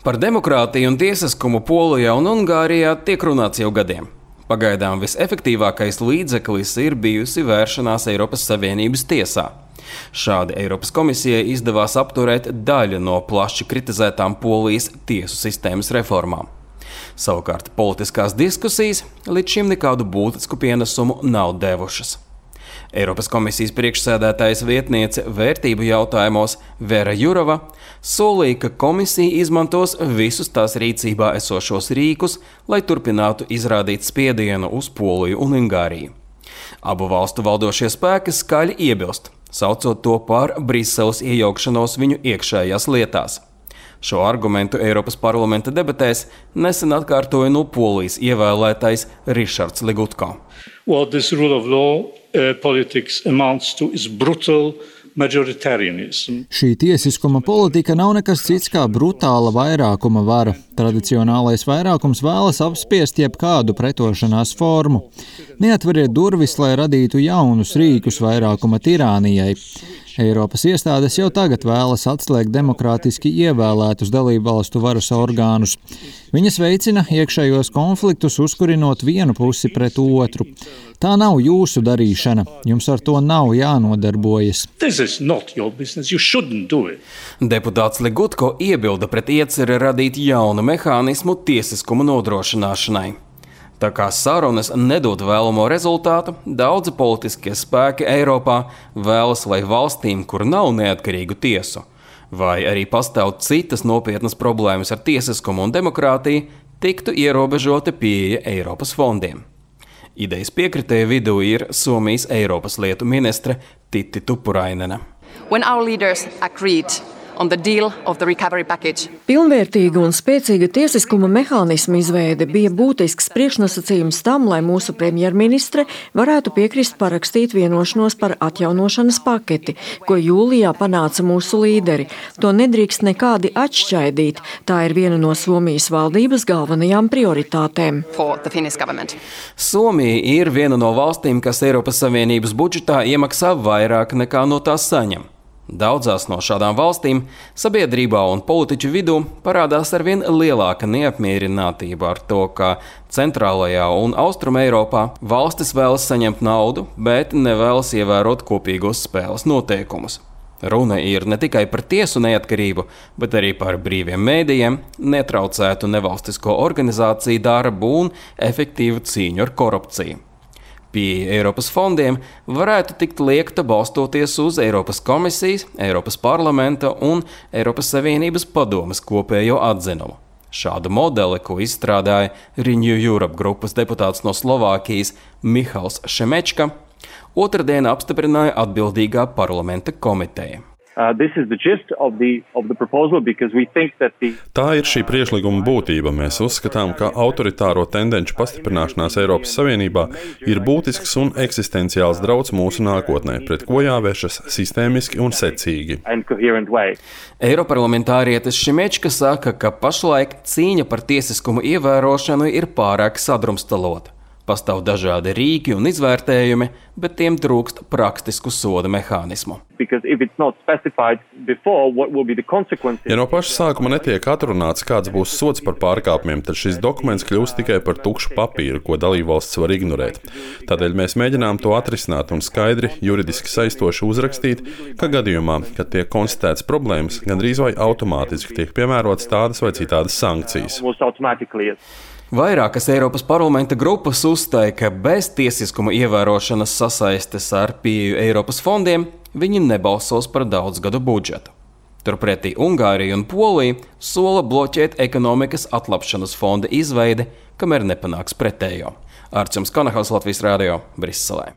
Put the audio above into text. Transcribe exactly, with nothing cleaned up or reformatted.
Par demokrātiju un tiesiskumu Polijā un Ungārijā tiek runāts jau gadiem. Pagaidām visefektīvākais līdzeklis ir bijusi vēršanās Eiropas Savienības tiesā. Šādi Eiropas komisijai izdevās apturēt daļu no plaši kritizētām Polijas tiesu sistēmas reformām. Savukārt politiskās diskusijas līdz šim nekādu būtisku pienesumu nav devušas. Eiropas komisijas priekšsēdētājas vietniece vērtību jautājumos Vera Jurova solīja, ka komisija izmantos visus tās rīcībā esošos rīkus, lai turpinātu izrādīt spiedienu uz Poliju un Ungāriju. Abu valstu valdošie spēki skaļi iebilst, saucot to par Briseles iejaukšanos viņu iekšējās lietās. Šo argumentu Eiropas parlamenta debatēs nesen atkārtoja no Polijas ievēlētais Rišards Ligutko. What this rule of law uh, politics amounts to is brutal majoritarianism. Šī tiesiskuma politika nav nekas cits kā brutāla vairākuma vara. Tradicionālais vairākums vēlas apspiest jebkādu pretošanās formu. Neatveriet durvis, lai radītu jaunus rīkus vairākuma tirānijai. Eiropas iestādes jau tagad vēlas atslēgt demokrātiski ievēlētus dalībvalstu varas orgānus. Viņas veicina iekšējos konfliktus, uzkurinot vienu pusi pret otru. Tā nav jūsu darīšana. Jums ar to nav jānodarbojas. Deputāts Ligutko iebilda pret ieceri radīt jaunu mehānismu tiesiskuma nodrošināšanai. Tā kā sarunas nedod vēlamo rezultātu, daudzi politiskie spēki Eiropā vēlas, lai valstīm, kur nav neatkarīgu tiesu, vai arī pastāv citas nopietnas problēmas ar tiesiskumu un demokrātiju, tiktu ierobežota pieeja Eiropas fondiem. Idejas piekritēju vidū ir Somijas Eiropas lietu ministre Titi Tuppurainena. When our leaders agreed on the deal of the recovery package. Pilnvērtīga un spēcīga tiesiskuma mehānisma izveide bija būtisks priekšnosacījums tam, lai mūsu premjerministre varētu piekrist parakstīt vienošanos par atjaunošanas paketi, ko jūlijā panāca mūsu līderi. To nedrīkst nekādi atšķaidīt. Tā ir viena no Somijas valdības galvenajām prioritātēm. Somija ir viena no valstīm, kas Eiropas Savienības budžetā iemaksā vairāk nekā no tās saņem. Daudzās no šādām valstīm sabiedrībā un politiķu vidū parādās arvien lielāka neapmierinātība ar to, ka centrālajā un austruma Eiropā valstis vēlas saņemt naudu, bet nevēlas ievērot kopīgos spēles noteikumus. Runa ir ne tikai par tiesu neatkarību, bet arī par brīviem mēdījiem, netraucētu nevalstisko organizāciju darbu un efektīvu cīņu ar korupciju. Pieeja Eiropas fondiem varētu tikt liekta balstoties uz Eiropas komisijas, Eiropas parlamenta un Eiropas Savienības padomes kopējo atzinumu. Šādu modeli, ko izstrādāja Renew Europe grupas deputāts no Slovākijas Mihals Šemečka, otrdien apstiprināja atbildīgā parlamenta komiteja. Uh, this is the gist of the, of the proposal because we think that the... Tā ir šī priekšlikuma būtība. Mēs uzskatām, ka autoritāro tendenču pastiprināšanās Eiropas Savienībā ir būtisks un eksistenciāls drauds mūsu nākotnē, pret ko jāvēršas sistēmiski un secīgi. Eiroparlamentārietis Šimečka saka, ka pašlaik cīņa par tiesiskumu ievērošanu ir pārāk sadrumstalota. Pastāv dažādi rīki un izvērtējumi, bet tiem trūkst praktisku soda mehānismu. Ja no paša sākuma netiek atrunāts, kāds būs sods par pārkāpumiem, tad šis dokuments kļūst tikai par tukšu papīru, ko dalībvalsts var ignorēt. Tādēļ mēs mēģinām to atrisināt un skaidri, juridiski saistoši uzrakstīt, ka gadījumā, kad tiek konstatēts problēmas, gandrīz vai automātiski tiek piemērotas tādas vai citādas sankcijas. Vairākas Eiropas parlamenta grupas uzstāja, ka bez tiesiskuma ievērošanas sasaistes ar pieeju Eiropas fondiem viņi nebalsos par daudzgadu budžetu. Turpretī Ungārija un Polija sola bloķēt ekonomikas atlapšanas fonda izveidi, kamēr nepanāks pretējo. Arčuns Kanahals, Latvijas radio, Briselē.